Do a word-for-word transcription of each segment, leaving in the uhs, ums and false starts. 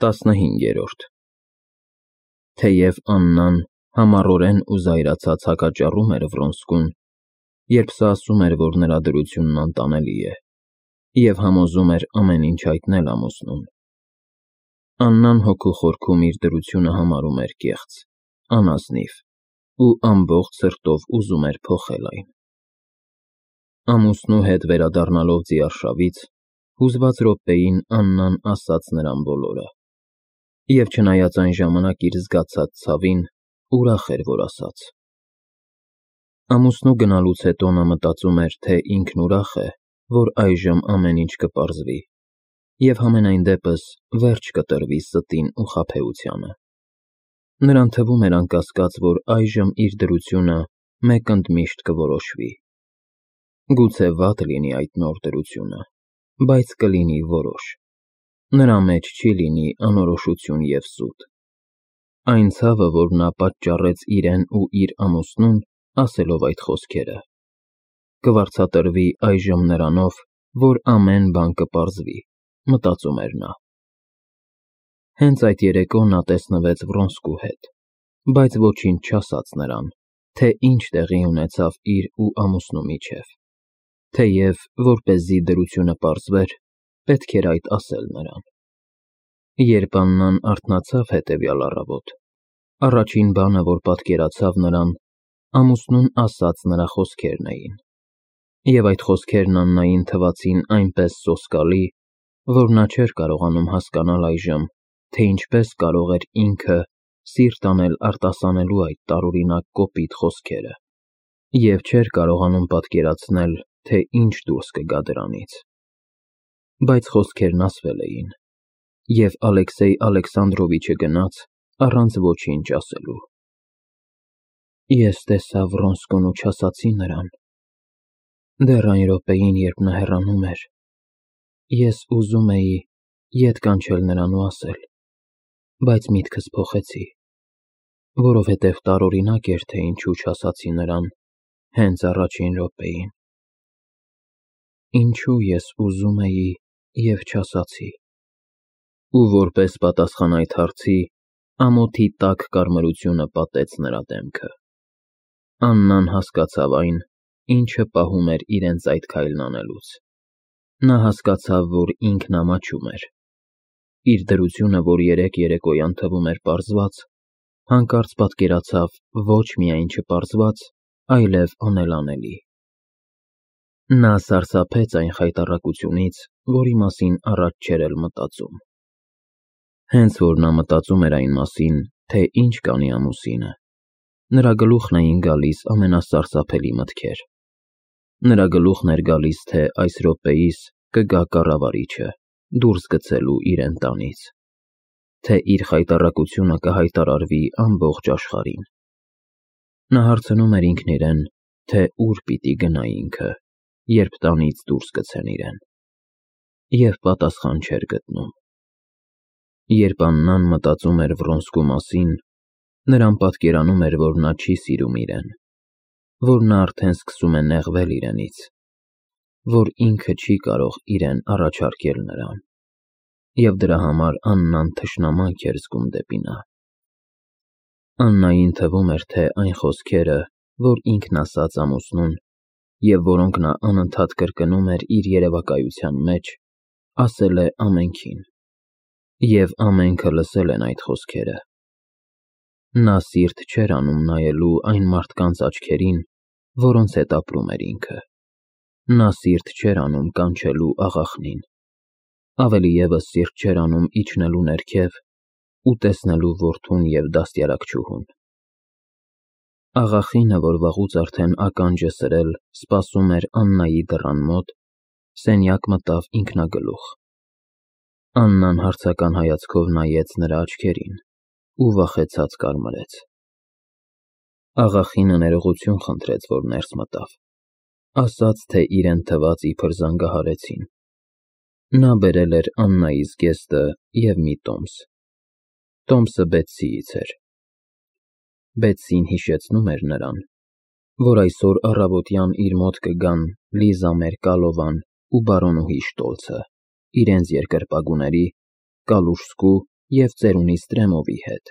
տասնհինգերորդ Թեև Աննան համառորեն ու զայրացած հակաճառում էր Վրոնսկուն, երբ սա ասում էր, որ նրա դրությունն անտանելի է, և համոզում էր ամեն ինչ հայտնել ամուսնուն, Աննան հոգու խորքում իր դրությունը համարում էր կեղծ, անազնիվ ու ամբողջ սրտով ուզում էր փոխել այն։ Ամուսնու հետ վերադառնալով ձիարշավից, հուզված րոպեին Աննան ասաց նրան բոլորը, և չնայած այն ժամանակ իր զգացած ցավին, ուրախ էր, որ ասաց։ Ամուսնու գնալուց հետո նա մտածում էր, թե ինքն ուրախ է, որ այժմ ամեն ինչ կպարզվի, և համենայն դեպս վերջ կտրվի ստին ու խաբեությանը։ Նրան թվում էր անկասկած, որ այժմ իր դրությունը մեկընդմիշտ կորոշվի։ Գուցե վատ լինի այդ նոր դրությունը, բայց կլինի որոշ։ Նրա մեջ չի լինի անորոշություն և սուտ։ Այն ցավը, որ նա պատճառեց իրեն ու իր ամուսնուն, ասելով այդ խոսքերը, կվարձատրվի այժմ նրանով, որ ամեն բան կպարզվի, մտածում էր նա։ Հենց այդ երեկո նա տեսնվեց Վրոնսկու հետ, բայց ոչինչ չասաց նրան, թե ինչ տեղի ունեցավ իր ու ամուսնու միջև, թեև, որպեսզի դրությունը պարզվեր, պետք էր այդ ասել նրան։ Երբ Աննան արթնացավ հետևյալ առավոտ, առաջին բանը, որ պատկերացավ նրան, ամուսնուն ասած նրա խոսքերն էին, և այդ խոսքերն Աննային թվացին այնպես սոսկալի, որ նա չէր կարողանում հասկանալ այժմ, թե ինչպես կարող էր ինքը սիրտ անել արտասանելու այդ տարօրինակ կոպիտ խոսքերը, և չէր կարողանում պատկերացնել, թե ինչ դուրս կգա դրանից։ Բայց խոսքերն ասվել էին, և Ալեքսեյ Ալեքսանդրովիչը գնաց, առանց ոչինչ ասելու։ Ես տեսա Վրոնսկուն ու չասացի նրան։ Դեռ այն րոպեին, երբ նա հեռանում էր, ես ուզում էի ետ կանչել նրան ու ասել, բայց միտքս փոխեցի, որովհետև տարօրինակ էր, թե ինչու չասացի նրան հենց առաջին րոպեին։ Ինչու ես ուզում էի և չասացի։ Ու որպես պատասխան այդ հարցի, ամոթի տաք կարմրությունը պատեց նրա դեմքը։ Աննան հասկացավ այն, ինչը պահում էր իրենց այդ քայլն անելուց։ Նա հասկացավ, որ ինքն ամաչում էր։ Իր դրությունը, որ երեկ երեկոյան թվում էր պարզված, հանկարծ պատկերացավ ոչ միայն չպարզված, այլև անելանելի։ Նա սարսափեց այն խայտառակությունից, որի մասին առաջ չէր էլ մտածում։ Հենց որ նա մտածում էր այն մասին, թե ինչ կանի ամուսինը, նրա գլուխն էին գալիս ամենասարսափելի մտքեր։ Նրա գլուխն էր գալիս, թե այս րոպեիս կգա կառավարիչը, դուրս գցելու իրեն տանից, թե իր խայտառակությունը կհայտարարվի ամբողջ աշխարհին։ Նա հարցնում էր ինքն իրեն, թե ուր պիտի գնա ինքը, երբ տանից դուրս գցեն իրեն, և պատասխան չէր գտնում։ Երբ Աննան մտածում էր Վրոնսկու մասին, նրան պատկերանում էր, որ նա չի սիրում իրեն, որ նա արդեն սկսում է նեղվել իրենից, որ ինքը չի կարող իրեն առաջարկել նրան, և դրա համար Աննան թշնամանք էր զգում դեպի նա։ Աննային թվում էր, թե այն խոսքերը, որ ինքն ասաց ամուսնուն, և որոնք նա անընդհատ կրկնում էր իր երևակայության մեջ, ասել է ամենքին, և ամենքը լսել են այդ խոսքերը։ Նա սիրտ չէր անում նայելու այն մարդկանց աչքերին, որոնց հետ ապրում էր ինքը։ Նա սիրտ չէր անում կանչելու աղախնին, ավելի ևս սիրտ չէր անում իջնելու ներքև ու տեսնելու որդուն և դաստիարակչուհուն։ Աղախինը, որ վաղուց արդեն ականջ է սրել, սպասում էր Աննայի դռան մոտ, սենյակ մտավ ինքնագլուխ։ Աննան հարցական հայացքով նայեց նրա աչքերին ու վախեցած կարմրեց։ Աղախինը ներողություն խնդրեց, որ ներս մտավ, ասաց, թե իրեն թվաց իբր զանգահարեցին։ Նա բերել էր Աննայի զգեստը և մի տոմս։ Տոմսը Բեթսիից էր։ Բեթսին հիշեցնում էր նրան, որ այսօր առավոտյան իր մոտ կգան Լիզա Մերկալովան ու բարոնուհի Շտոլցը, իրենց երկրպագուների՝ Կալուժսկու և ծերունի Ստրեմովի հետ,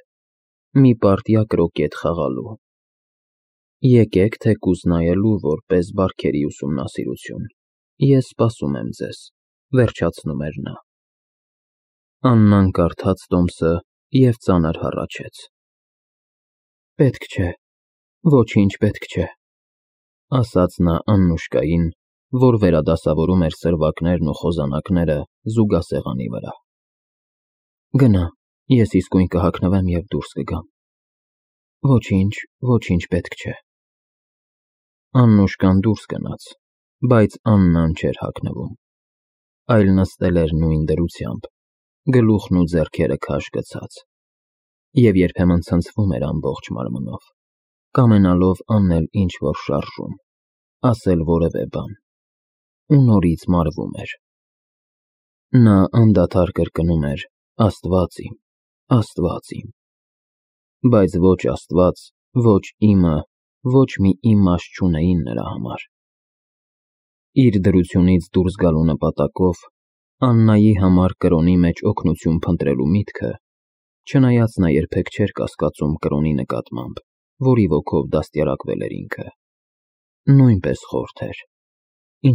մի պարտիա կրոկետ խաղալու։ Եկեք թեկուզ նայելու որպես բարքերի ուսումնասիրություն, ես սպասում եմ ձեզ, վերջացնում էր նա։ Աննան կարդաց տոմսը և ծանր հառաչեց. Պետք չէ, ոչինչ պետք չէ, ասաց նա Աննուշկային, որ վերադասավորում էր սրվակներն ու խոզանակները զուգասեղանի վրա։ Գնա, ես իսկույն կհագնվեմ և դուրս կգամ։ Ոչինչ, ոչինչ պետք չէ։ Աննուշկան դուրս գնաց, բայց Աննան չէր հագնվում, այլ նստել էր նույն դրությամբ, գլուխն ու ձեռքերը քաշ գցած, և երբեմն ցնցվում էր ամբողջ մարմնով, կամենալով անել ինչ-որ շարժում, ասել որևէ բան, ու նորից մարվում էր։ Նա անդադար կրկնում էր. Աստված իմ, Աստված իմ, բայց ոչ Աստված, ոչ իմը, ոչ մի իմաստ չունեին նրա համար։ Իր դրությունից դուրս գալու նպատակով Աննայի համար կրոնի մեջ օգնություն փնտրելու միտքը, չնայած նա երբեք չէր կասկածում կրոնի նկատմամբ, որի ոգով դաստիարակվել էր ինքը, նույնպես խորթ էր,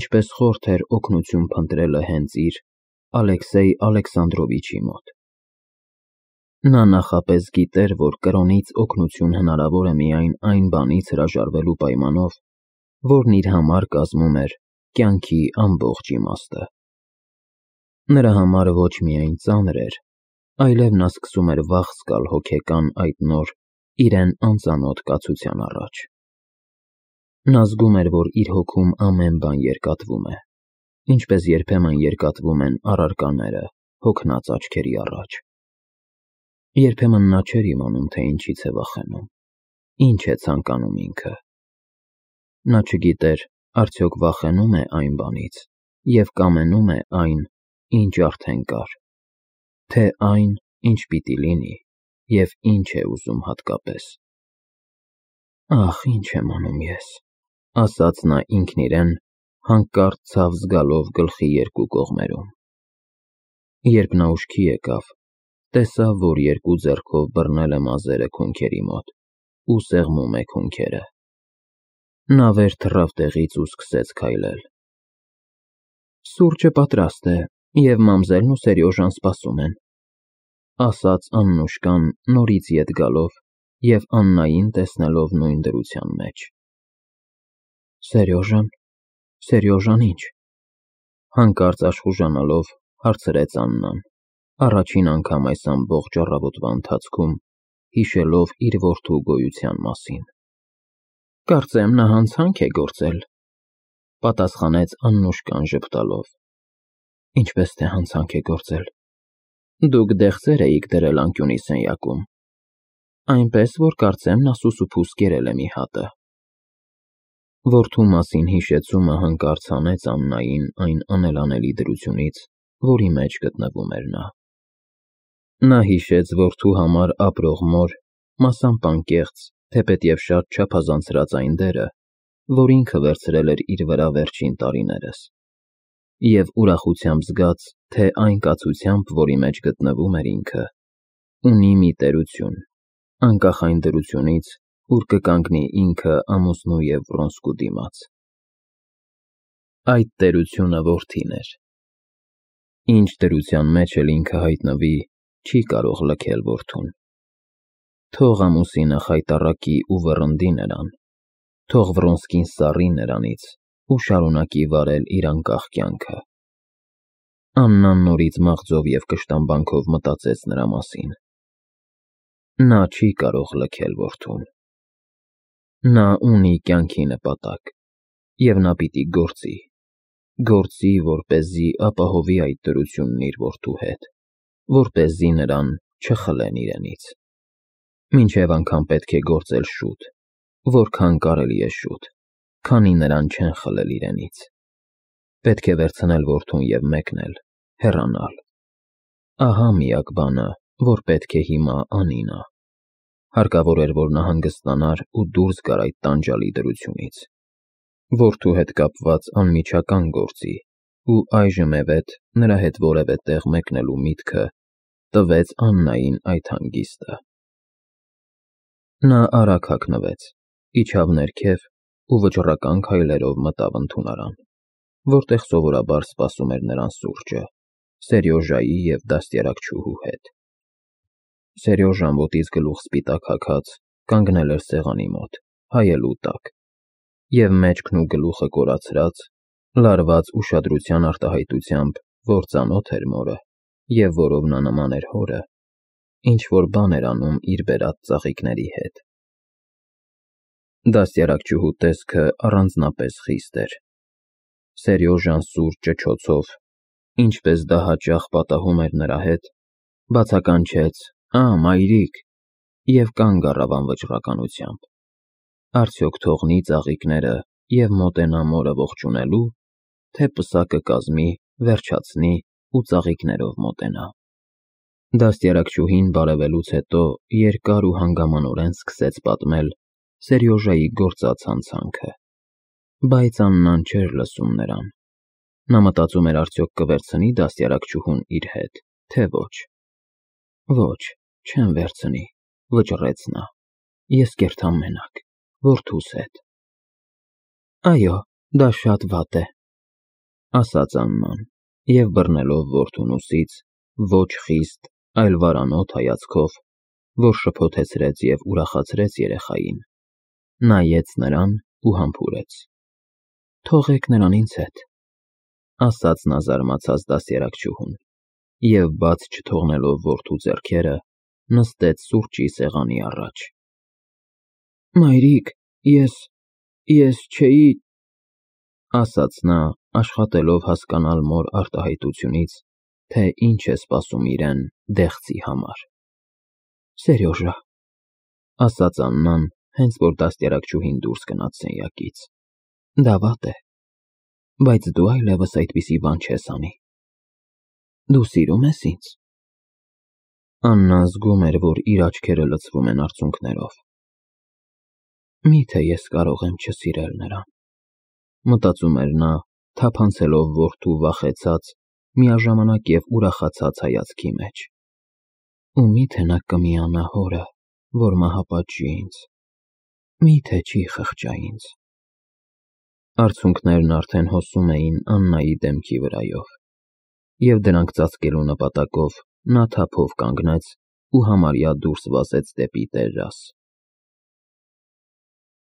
ինչպես խորթ էր օգնություն փնտրելը հենց իր Ալեքսեյ Ալեքսանդրովիչի մոտ։ Նա նախապես գիտեր, որ կրոնից օգնություն հնարավոր է միայն այն բանից հրաժարվելու պայմանով, որն իր համար կազմում էր կյանքի ամբողջ իմաստը։ Նրա համար ոչ միայն ծանր էր, այլև նա սկսում էր վախ զգալ հոգեկան այդ նոր, իրեն անծանոթ կացության առաջ։ Նա զգում էր, որ իր հոգում ամեն բան երկատվում է, ինչպես երբեմն երկատվում են առարկաները հոգնած աչքերի առաջ։ Երբեմն նա չէր իմանում, թե ինչից է վախենում, ինչ է ցանկանում ինքը։ Նա չգիտեր, արդյոք վախենու՞մ է այն բանից և կամենում է այն, ինչ արդեն կար, թե այն, ինչ պիտի լինի և ինչ է ուզում հատկապես։ Ախ, ինչ եմ անում ես, ասաց նա ինքն իրեն, հանկարծ ցավ զգալով գլխի երկու կողմերում։ Երբ նա ուշքի եկավ, տեսավ, որ երկու ձեռքով բռնել է մազերը քունքերի մոտ ու սեղմում է քունքերը։ Նա վեր թռավ տեղից ու սկսեց քայլել։ Սուրճը պատրաստ է, և մամզելն ու Սերյոժան սպասում են, ասաց Աննուշկան նորից ետ գալով և Աննային տեսնելով նույն դրության մեջ։ Սերյոժան, Սերյոժան ի՞նչ, հանկարծ աշխուժանալով հարցրեց Աննան, առաջին անգամ այս ամբողջ առավոտվա ընթացքում հիշելով իր որդու գոյության մասին։ Կարծեմ նա հանցանք է գործել, պատասխանեց Աննուշկան ժպտալով։ Ինչպես թե հանցանք է գործել։ Դուք դեղձեր էիք դրել անկյունի սենյակում, այնպես որ կարծեմ նա սուսուփուս կերել է մի հատը։ Որդու մասին հիշեցումը հանկարծ հանեց Աննային այն անելանելի դրությունից, որի մեջ գտնվում էր նա։ Նա հիշեց որդու համար ապրող մոր, մասամբ անկեղծ, թեպետև շատ չափազանցրած այն դերը, որ ինքը վերցրել էր իր վրա վերջին տարիներս, և ուրախությամբ զգաց, թե այն կացությամբ, որի մեջ գտնվում էր ինքը, ունի մի տերություն, անկախ այն դրությունից, ուր կկանգնի ինքը ամուսնու և Վրոնսկու դիմաց։ Այդ տերությունը որդին էր։ Ինչ դրության մեջ էլ ինքը հայտնվի, չի կարող լքել որդուն։ Թող ամուսինը խայտառակի ու վռնդի նրան, թող Վրոնսկին սառի նրանից ու շարունակի վարել իր անկախ կյանքը։ Աննան նորից մաղձով և կշտամբանքով մտածեց նրա մասին։ Նա չի կարող լքել որդուն։ Նա ունի կյանքի նպատակ, և նա պիտի գործի, գործի, որպեսզի ապահովի այդ դրությունն իր որդու հետ, որպեսզի նրան չխլեն իրենից։ Մինչև անգամ պետք է գործել շուտ, որքան կարելի է շուտ, քանի նրան չեն խլել իրենից։ Պետք է վերցնել որդուն և մեկնել, հեռանալ։ Ահա միակ բանը, որ պետք է հիմա անի նա։ Հարկավոր էր, որ նա հանգստանար ու դուրս գար այդ տանջալի դրությունից, որդու հետ կապված անմիջական գործի, ու այժմևեթ նրա հետ որևէ տեղ մեկնելու միտքը տվեց Աննային այդ հանգիստը։ Նա արագ հագնվեց, իջավ ներքև ու վճռական քայլերով մտավ ընդունարան, որտեղ սովորաբար սպասում էր նրան սուրճը, Սերյոժայի և դաստիարակչուհու հետ։ Սերյոժան ոտից գլուխ սպիտակ հագած կանգնել էր սեղանի մոտ, հայելու տակ, և մեջքն ու գլուխը կորացրած, լարված ուշադրության արտահայտությամբ, որ ծանոթ էր մորը, և որով նա նման էր հորը, ինչ-որ բան էր անում իր բերած ծաղիկների հետ։ Դաստիարակչուհու տեսքը առանձնապես խիստ էր։ Սերյոժան սուր ճչոցով, ինչպես դա հաճախ պատահում էր նրա հետ, բացականչեց. «Ա, մայրիկ», և կանգ առավ անվճռականությամբ։ Արդյոք թողնի ծաղիկները և մոտենա մորը ողջունելու, թե պսակը կազմի, վերջացնի ու ծաղիկներով մոտենա։ Դաստիարակչուհին բարևելուց հետո երկար ու հանգամանորեն սկսեց պատմել Սերյոժայի գործած հանցանքը, բայց Աննան չէր լսում նրան։ Նա մտածում էր արդյոք կվերցնի դաստիարակչուհուն իր հետ, թե ոչ։ Ոչ, չեմ վերցնի, վճռեց նա, ես կերթամ մենակ, որդուս հետ։ Այո, դա շատ վատ է, ասաց Աննան, և բռնելով որդուն ուսից, ոչ խիստ, այլ վարանոտ հայացքով, որ շփոթեցրեց և ուրախացրեց երեխային, նայեց նրան ու համբուրեց։ Թողեք նրան ինձ հետ, ասաց նա զարմացած դաստիարակչուհուն, և բաց չթողնելով որդու ձեռքերը, նստեց սուրճի սեղանի առաջ։ Մայրիկ, ես, ես չէի, ասաց նա, աշխատելով հասկանալ մոր արտահայտությունից, թե ինչ է սպասում իրեն դեղցի համար։ Սերյոժա, ասաց Աննան, հենց որ դաստիարակչուհին դուրս գնաց սենյակից, դա վատ է, բայց դու այլևս այդպիսի բան չես անի։ Դու սիրում ես ինձ։ Աննան զգում էր, որ իր աչքերը լցվում են արցունքներով։ Միթե ես կարող եմ չսիրել նրան, մտածում էր նա, թափանցելով որդու վախեցած, միաժամանակ և ուրախացած հայացքի մեջ։ Ու միթե նա կմիանա հորը, որ մահապատժի ինձ, միթե չի խղճա ինձ։ Արցունքներն արդեն հոսում էին Աննայի դեմքի վրայով, և դրանք ծածկելու նպատակով նա թափով կանգնեց ու համարյա դուրս վազեց դեպի տերաս։